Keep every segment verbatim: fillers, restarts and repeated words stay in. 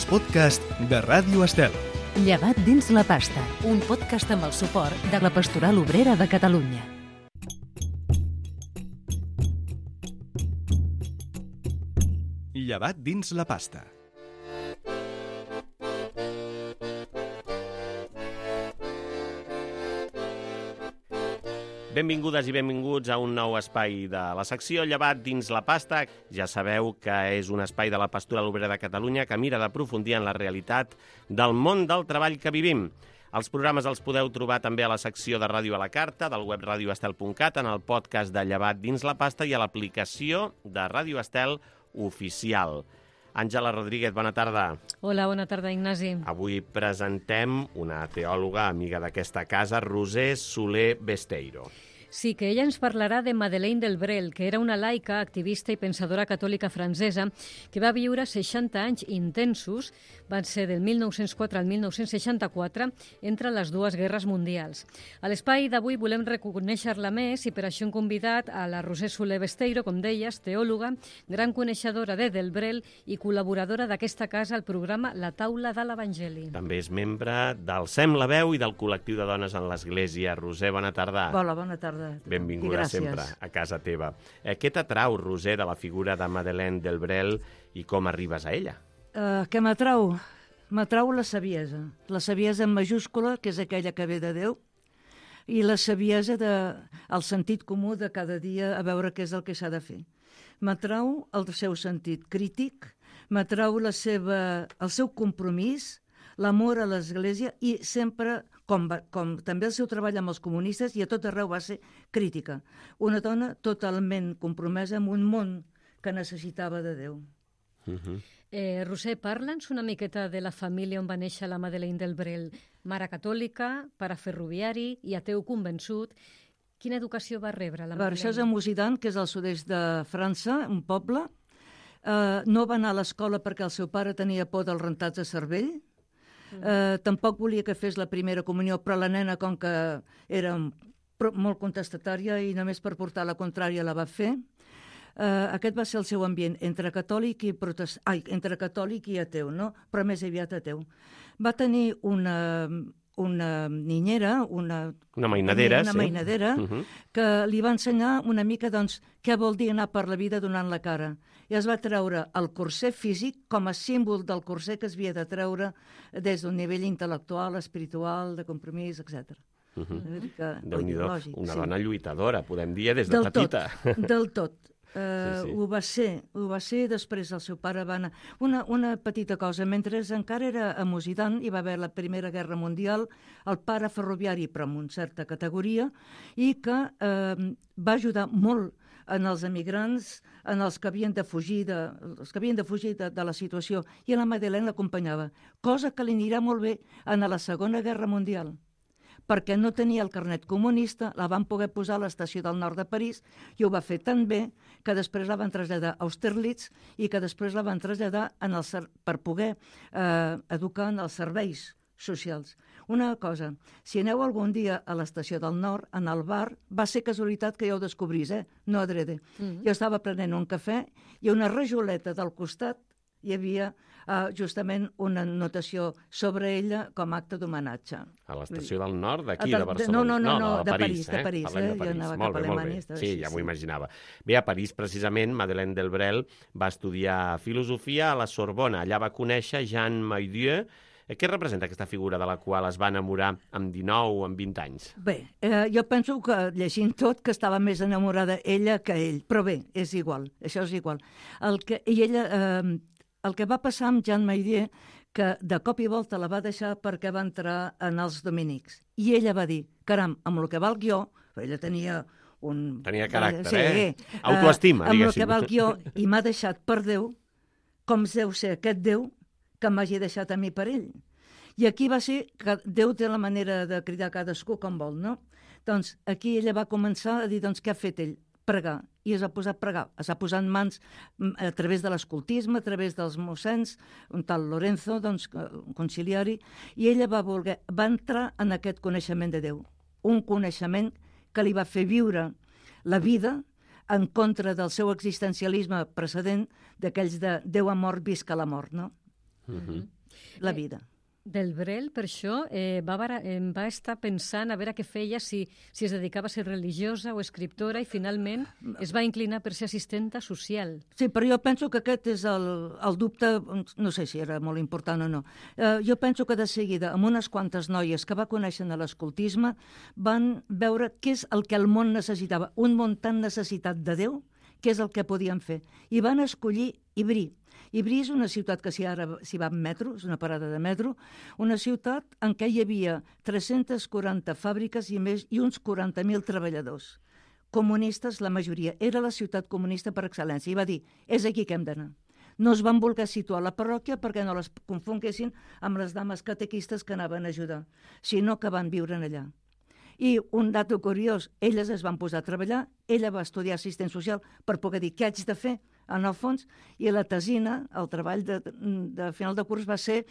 els podcasts de Ràdio Estel. Llevat dins la pasta, un podcast amb el suport de la Pastoral Obrera de Catalunya. Llevat dins la pasta. Benvingudes i benvinguts a un nou espai de la secció Llevat dins la pasta. Ja sabeu que és un espai de la Pastoral Obrera de Catalunya que mira d'aprofundir en la realitat del món del treball que vivim. Els programes els podeu trobar també a la secció de Ràdio a la Carta, del web radio estel punt cat, en el podcast de Llevat dins la pasta i a l'aplicació de Ràdio Estel oficial. Àngela Rodríguez, bona tarda. Hola, bona tarda, Ignasi. Avui presentem una teòloga amiga d'aquesta casa, Roser Soler Besteiro. Sí, que ella ens parlarà de Madeleine Delbrel, que era una laica, activista i pensadora catòlica francesa que va viure seixanta anys intensos, van ser del mil nou-cents quatre al mil nou-cents seixanta-quatre, entre les dues guerres mundials. A l'espai d'avui volem reconèixer-la més i per això hem convidat a la Roser Soler Besteiro, com deies, teòloga, gran coneixedora de Delbrel i col·laboradora d'aquesta casa al programa La Taula de l'Evangeli. També és membre del Sem la Veu i del col·lectiu de dones en l'Església. Roser, bona tarda. Hola, bona tarda. Benvinguda sempre a casa teva. Eh, què t'atrau, Roser, de la figura de Madeleine Delbrel i com arribes a ella? Uh, què m'atrau? M'atrau la saviesa. La saviesa en majúscula, que és aquella que ve de Déu, i la saviesa de, el sentit comú de cada dia a veure què és el que s'ha de fer. M'atrau el seu sentit crític, m'atrau la seva, el seu compromís, l'amor a l'Església i sempre, com, va, com també el seu treball amb els comunistes, i a tot arreu va ser crítica. Una dona totalment compromesa amb un món que necessitava de Déu. Uh-huh. Eh, Roser, parla'ns una miqueta de la família on va néixer la Madeleine Delbrel. Mare catòlica, pare ferroviari i ateu convençut. Quina educació va rebre la Madeleine? Això és a Musidan, que és al sud-est de França, un poble. Uh, no va anar a l'escola perquè el seu pare tenia por dels rentats de cervell. Uh, tampoc volia que fes la primera comunió, però la nena, com que era molt contestatària i només per portar la contrària la va fer. Uh, aquest va ser el seu ambient, entre catòlic i protest... Ai, entre catòlic i ateu, no? Però més aviat ateu. Va tenir una, una niñera, una... Una mainadera, una sí. mainadera, uh-huh. que li va ensenyar una mica, doncs, què vol dir anar per la vida donant la cara. I es va treure el corset físic com a símbol del corset que es havia de treure des d'un nivell intel·lectual, espiritual, de compromís, etcètera. Uh-huh. Déu-n'hi-do, una sí. dona lluitadora, podem dir, des de del petita. Tot, del tot. Uh, sí, sí. Ho va ser, ho va ser, després el seu pare va anar... Una, una petita cosa, mentre encara era a Musidan, hi va haver la Primera Guerra Mundial, el pare ferroviari, però amb una certa categoria, i que uh, va ajudar molt en els emigrants, en els que havien de fugir de, els que havien de, fugir de, de la situació, i la Madeleine l'acompanyava, cosa que li anirà molt bé en la Segona Guerra Mundial, perquè no tenia el carnet comunista, la van poder posar a l'estació del nord de París, i ho va fer tan bé que després la van traslladar a Austerlitz i que després la van traslladar en el, per poder eh, educar en els serveis socials. Una cosa, si aneu algun dia a l'estació del nord, en el bar, va ser casualitat que ja ho descobrís, eh? No adrede. Mm-hmm. Jo estava prenent un cafè i a una rajoleta del costat hi havia uh, justament una notació sobre ella com a acte d'homenatge. A l'estació del nord, d'aquí, de, de Barcelona? No, no, no, no, no de, de París, París, eh? de París. Parlem Eh? de París. Jo anava molt cap bé, a Alemanya. molt bé. Sí, ja m'ho imaginava. Bé, a París, precisament, Madeleine Delbrel va estudiar filosofia a la Sorbona. Allà va conèixer Jean Maidieu. Què representa aquesta figura de la qual es va enamorar amb dinou o amb vint anys? Bé, eh, jo penso que, llegint tot, que estava més enamorada ella que ell. Però bé, és igual, això és igual. El que, i ella, eh, el que va passar amb Jean Maidieu, que de cop i volta la va deixar perquè va entrar en els dominics. I ella va dir, caram, amb el que va el guió, ella tenia un... Tenia caràcter, sí, eh? Autoestima, uh, diguéssim. Amb el que va el guió, i m'ha deixat per Déu, com deu ser aquest Déu que m'hagi deixat a mi per ell. I aquí va ser que Déu té la manera de cridar cadascú com vol, no? Doncs aquí ella va començar a dir, doncs, què ha fet ell? Pregar. I es va posar a pregar. Es va posar en mans a través de l'escoltisme, a través dels mossens, un tal Lorenzo, doncs, un conciliari, i ella va voler, va entrar en aquest coneixement de Déu. Un coneixement que li va fer viure la vida en contra del seu existencialisme precedent, d'aquells de Déu ha mort, visca la mort, no? Uh-huh. La vida. Del Brel, per això, eh, va, bara, eh, va estar pensant a veure què feia, si, si es dedicava a ser religiosa o escriptora, i finalment es va inclinar per ser assistenta social. Sí, però jo penso que aquest és el, el dubte, no sé si era molt important o no. Eh, jo penso que de seguida, amb unes quantes noies que va conèixer a l'escoltisme, van veure què és el que el món necessitava, un món tan necessitat de Déu, què és el que podien fer. I van escollir Ivry. Ivry és una ciutat que si ara s'hi va en metro, és una parada de metro, una ciutat en què hi havia tres-centes quaranta fàbriques i més i uns quaranta mil treballadors. Comunistes, la majoria. Era la ciutat comunista per excel·lència. I va dir, és aquí que hem d'anar. No es van voler situar a la parròquia perquè no les confonguessin amb les dames catequistes que anaven a ajudar, sinó que van viure allà. I un dato curiós, elles es van posar a treballar, ella va estudiar assistent social per poder dir què haig de fer, en el fons, i la tesina, el treball de, de final de curs va ser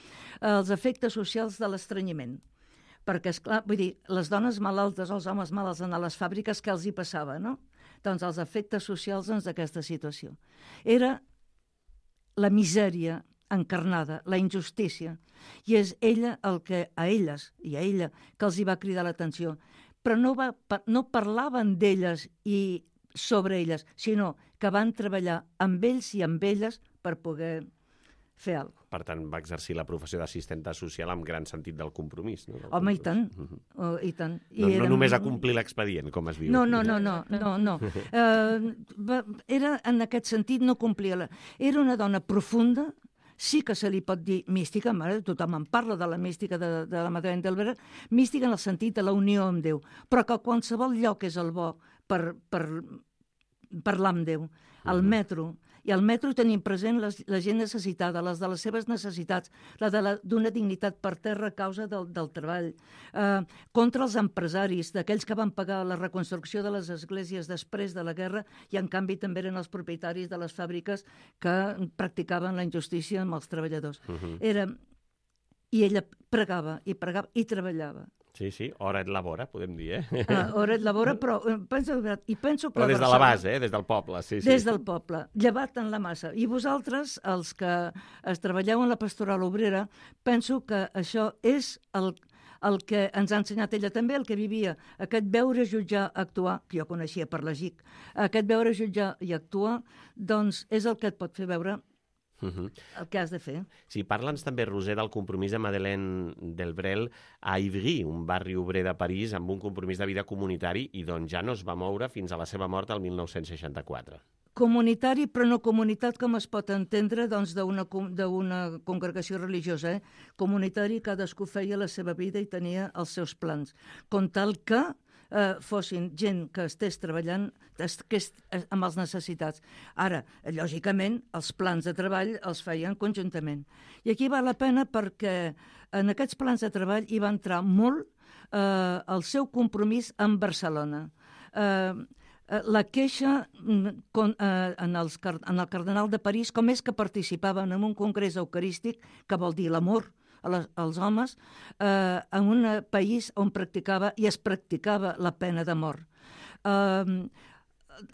els efectes socials de l'estrenyiment. Perquè, esclar, vull dir, les dones malaltes, els homes malalts a les fàbriques, què els hi passava, no? Doncs els efectes socials doncs, d'aquesta situació. Era la misèria encarnada, la injustícia, i és ella el que, a elles i a ella, que els hi va cridar l'atenció. Però no, va, no parlaven d'elles i sobre elles, sinó que van treballar amb ells i amb elles per poder fer alguna cosa. Per tant, va exercir la professió d'assistenta social amb gran sentit del compromís. No? Del Home, compromís. i tant. Uh-huh. Oh, i tant. I No, no érem... només a complir l'expedient, com es diu. No, no, no, no, no, no. Uh, va, era, en aquest sentit, no complia la... Era una dona profunda, sí que se li pot dir mística, mare, tothom en parla de la mística de, de la Madeleine d'Albret, mística en el sentit de la unió amb Déu, però que qualsevol lloc és el bo per, per parlar amb Déu. Al metro, i al metro tenim present les, la gent necessitada, les de les seves necessitats, la d'una dignitat per terra a causa del, del treball, eh, contra els empresaris, d'aquells que van pagar la reconstrucció de les esglésies després de la guerra i en canvi també eren els propietaris de les fàbriques que practicaven la injustícia amb els treballadors. Uh-huh. Era... I ella pregava i pregava i treballava. Sí, sí, hora et labora, podem dir, eh? Uh, hora et labora, però penso, i penso que... Però des de la Barcelona, base, eh? Des del poble, sí, sí. Des del poble, llevat en la massa. I vosaltres, els que es treballeu en la pastoral obrera, penso que això és el, el que ens ha ensenyat ella també, el que vivia, aquest veure, jutjar, actuar, que jo coneixia per la G I C, aquest veure, jutjar i actuar, doncs és el que et pot fer veure Uh-huh. el que has de fer. Sí, parla'ns també, Roser, del compromís de Madeleine d'Albret a Ivry, un barri obrer de París, amb un compromís de vida comunitari i d'on ja no es va moure fins a la seva mort el mil nou-cents seixanta-quatre. Comunitari, però no comunitat com es pot entendre doncs, d'una d'una congregació religiosa. Eh? Comunitari, cadascú feia la seva vida i tenia els seus plans. Com tal que eh, fossin gent que estés treballant que est, amb les necessitats. Ara, lògicament, els plans de treball els feien conjuntament. I aquí val la pena perquè en aquests plans de treball hi va entrar molt eh, el seu compromís amb Barcelona. Eh, la queixa con, eh, en, els, en el cardenal de París, com és que participaven en un congrés eucarístic, que vol dir l'amor a les, als homes, eh, en un país on practicava i es practicava la pena de mort. Eh,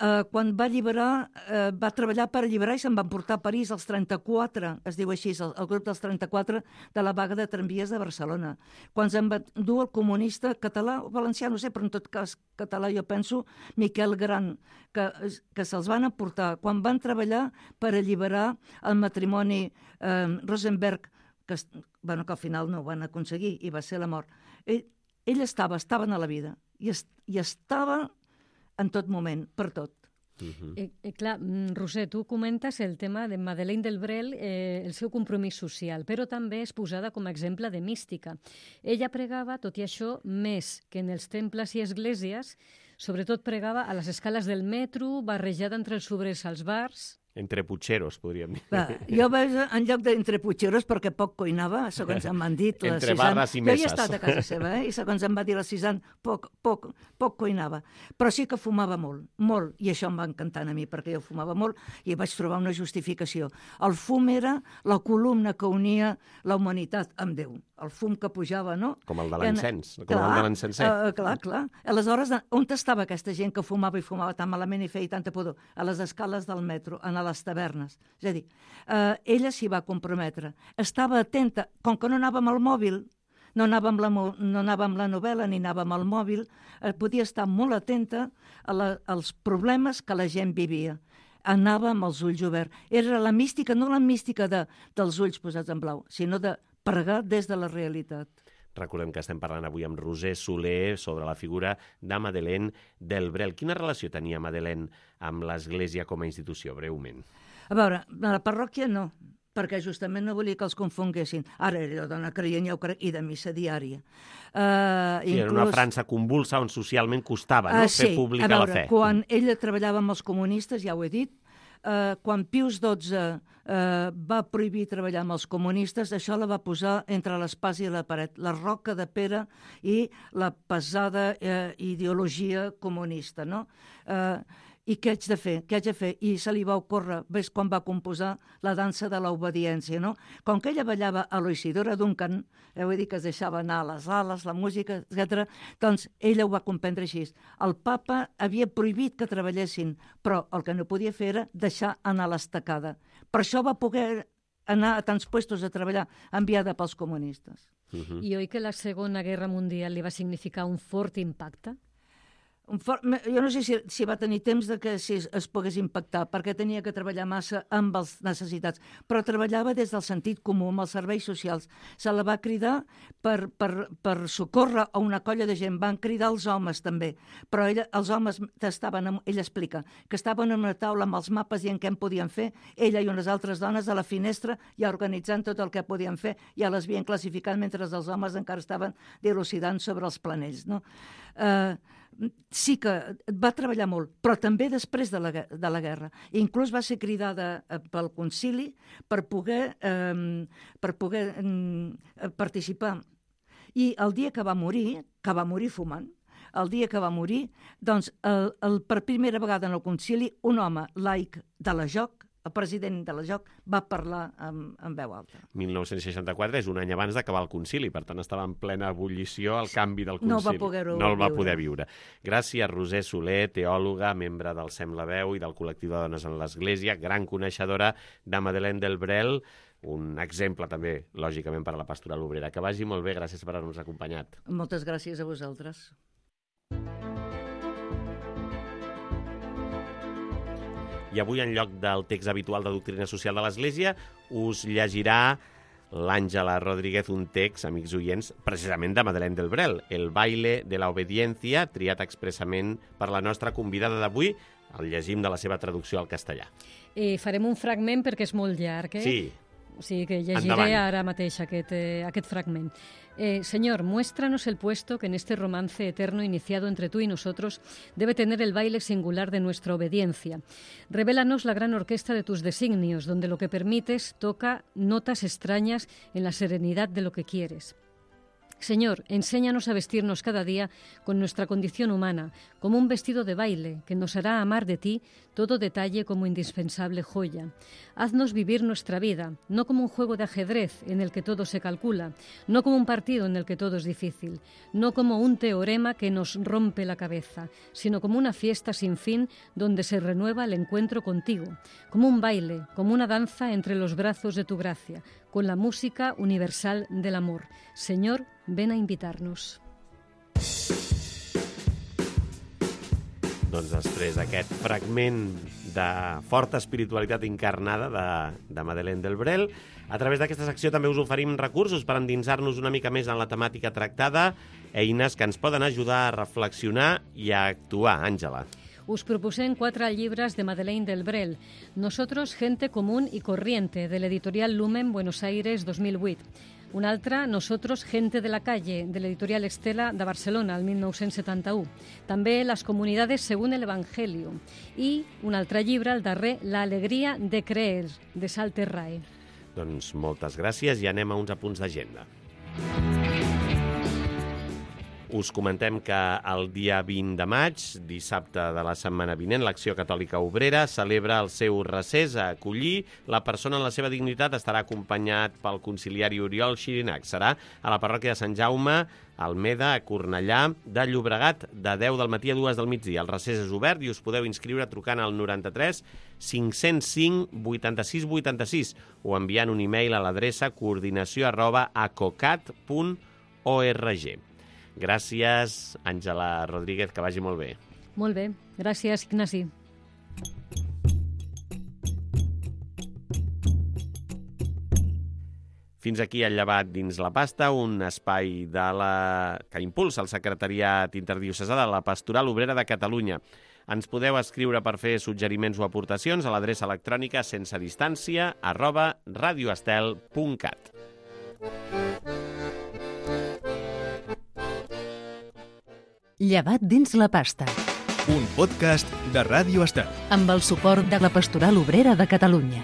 eh, quan va alliberar, eh, va treballar per alliberar i se'n van portar a París els trenta-quatre, es diu així, el, el grup dels trenta-quatre de la vaga de tramvies de Barcelona. Quan se'n va dur el comunista català o valencià, no sé, però en tot cas català jo penso, Miquel Gran, que, que se'ls van aportar quan van treballar per alliberar el matrimoni eh, Rosenberg, que, bueno, que al final no ho van aconseguir i va ser la mort. Ell, ell estava, estava a la vida i, est, i estava en tot moment, per tot. Uh-huh. eh, eh, clar, Roser, tu comentes el tema de Madeleine d'Albret, eh, el seu compromís social, però també és posada com a exemple de mística. Ella pregava, tot i això, més que en els temples i esglésies, sobretot pregava a les escales del metro, barrejada entre els obrers als bars... Entre putxeros, podríem dir. Va, jo vaig en lloc d'entre putxeros perquè poc cuinava, segons em van dit. Entre barres i messes. Jo hi he estat a casa seva, eh? I segons em va dir la Cisan, poc, poc, poc cuinava. Però sí que fumava molt, molt, i això em va encantar a mi, perquè jo fumava molt i vaig trobar una justificació. El fum era la columna que unia la humanitat amb Déu. el fum que pujava, no? Com el de l'encens, com clar, el de l'encenser. Uh, clar, clar. Aleshores, on estava aquesta gent que fumava i fumava tan malament i feia tanta pudor? A les escales del metro, a les tavernes. És a dir, uh, ella s'hi va comprometre. Estava atenta, com que no anava amb el mòbil, no anava amb la, no anava amb la novel·la ni anava amb el mòbil, eh, podia estar molt atenta a la, als problemes que la gent vivia. Anava amb els ulls oberts. Era la mística, no la mística de, dels ulls posats en blau, sinó de pregar des de la realitat. Recordem que estem parlant avui amb Roser Soler sobre la figura de Madeleine del Brel. Quina relació tenia Madeleine amb l'Església com a institució, breument? A veure, a la parròquia no, perquè justament no volia que els confonguessin. Ara era dona creient, ja ho crec, i de missa diària. Uh, sí, inclús... Era una França convulsa on socialment costava no? uh, fer sí, pública veure, la fe. Quan ella treballava amb els comunistes, ja ho he dit, uh, quan Pius dotze uh, va prohibir treballar amb els comunistes, això la va posar entre l'espasa i la paret, la roca de Pere i la pesada uh, ideologia comunista, no? Uh, I què haig de fer? Què haig de fer? I se li va ocórrer, ves quan va composar la dansa de l'obediència, no? Com que ella ballava a l'Isidora Duncan, eh, vull dir que es deixava anar a les ales, la música, etcètera, doncs ella ho va comprendre així. El papa havia prohibit que treballessin, però el que no podia fer era deixar anar l'estacada. Per això va poder anar a tants puestos a treballar, enviada pels comunistes. Uh-huh. I oi que la Segona Guerra Mundial li va significar un fort impacte? Un for... Jo no sé si, si va tenir temps de que si es, es pogués impactar, perquè tenia que treballar massa amb les necessitats, però treballava des del sentit comú, amb els serveis socials. Se la va cridar per, per, per socórrer a una colla de gent, van cridar els homes també, però ella, els homes estaven, amb, ella explica, que estaven en una taula amb els mapes i en què en podien fer, ella i unes altres dones a la finestra ja organitzant tot el que podien fer, ja les havien classificat mentre els homes encara estaven dilucidant sobre els planells, no? Eh... Uh, sí que va treballar molt, però també després de la, de la guerra. Inclús va ser cridada pel concili per poder, eh, per poder eh, participar. I el dia que va morir, que va morir fumant, el dia que va morir, doncs, el, el, per primera vegada en el concili, un home laic de la Joc, el president de la Joc, va parlar amb, amb veu alta. mil nou-cents seixanta-quatre és un any abans d'acabar el concili, per tant estava en plena ebullició el canvi del concili. No va poder-ho No el va viure. poder viure. Gràcies, Roser Soler, teòloga, membre del Sem la Veu i del col·lectiu de dones en l'Església, gran coneixedora de Madeleine del Brel, un exemple també, lògicament, per a la pastoral obrera. Que vagi molt bé, gràcies per haver-nos acompanyat. Moltes gràcies a vosaltres. I avui, en lloc del text habitual de doctrina social de l'Església, us llegirà l'Àngela Rodríguez un text, amics oients, precisament de Madeleine del Brel, El baile de la obediencia, triat expressament per la nostra convidada d'avui. El llegim de la seva traducció al castellà. Eh, farem un fragment perquè és molt llarg, eh? Sí. O sigui que llegiré Endavant. ara mateix aquest, eh, aquest fragment. Eh, Señor, muéstranos el puesto que en este romance eterno iniciado entre tú y nosotros debe tener el baile singular de nuestra obediencia. Revélanos la gran orquesta de tus designios, donde lo que permites toca notas extrañas en la serenidad de lo que quieres. Señor, enséñanos a vestirnos cada día con nuestra condición humana, como un vestido de baile que nos hará amar de ti todo detalle como indispensable joya. Haznos vivir nuestra vida, no como un juego de ajedrez en el que todo se calcula, no como un partido en el que todo es difícil, no como un teorema que nos rompe la cabeza, sino como una fiesta sin fin donde se renueva el encuentro contigo, como un baile, como una danza entre los brazos de tu gracia, con la música universal del amor. Señor, ven a invitar-nos. Doncs després d'aquest fragment de forta espiritualitat encarnada de, de Madeleine del Brel, a través d'aquesta secció també us oferim recursos per endinsar-nos una mica més en la temàtica tractada, eines que ens poden ajudar a reflexionar i a actuar. Àngela. Us proposem quatre llibres de Madeleine del Brel. Nosotros, gente común y corriente, de l'editorial Lumen, Buenos Aires, dos mil vuit. Un altre, Nosotros, gente de la calle, de l'editorial Estela, de Barcelona, el mil nou-cents setanta-u. També Les comunidades según el Evangelio. I un altre llibre, el darrer, La alegria de creer, de Salter Rae. Doncs moltes gràcies i anem a uns apunts d'agenda. Us comentem que el dia vint de maig, dissabte de la setmana vinent, l'Acció Catòlica Obrera celebra el seu recés a acollir. La persona en la seva dignitat estarà acompanyat pel conciliari Oriol Xirinac. Serà a la parròquia de Sant Jaume, a Almeda, a Cornellà, de Llobregat, de deu del matí a dues del migdia. El recés és obert i us podeu inscriure trucant al noranta-tres cinc-cents cinc vuitanta-sis vuitanta-sis o enviant un e-mail a l'adreça coordinació arroba acocat punt org. Gràcies, Àngela Rodríguez, que vagi molt bé. Molt bé, gràcies, Ignasi. Fins aquí el llevat dins la pasta, un espai de la... que impulsa el Secretariat Interdiocesà de la Pastoral Obrera de Catalunya. Ens podeu escriure per fer suggeriments o aportacions a l'adreça electrònica sense distància arroba radioestel punt cat. Llevat dins la pasta. Un podcast de Ràdio Estel. Amb el suport de la Pastoral Obrera de Catalunya.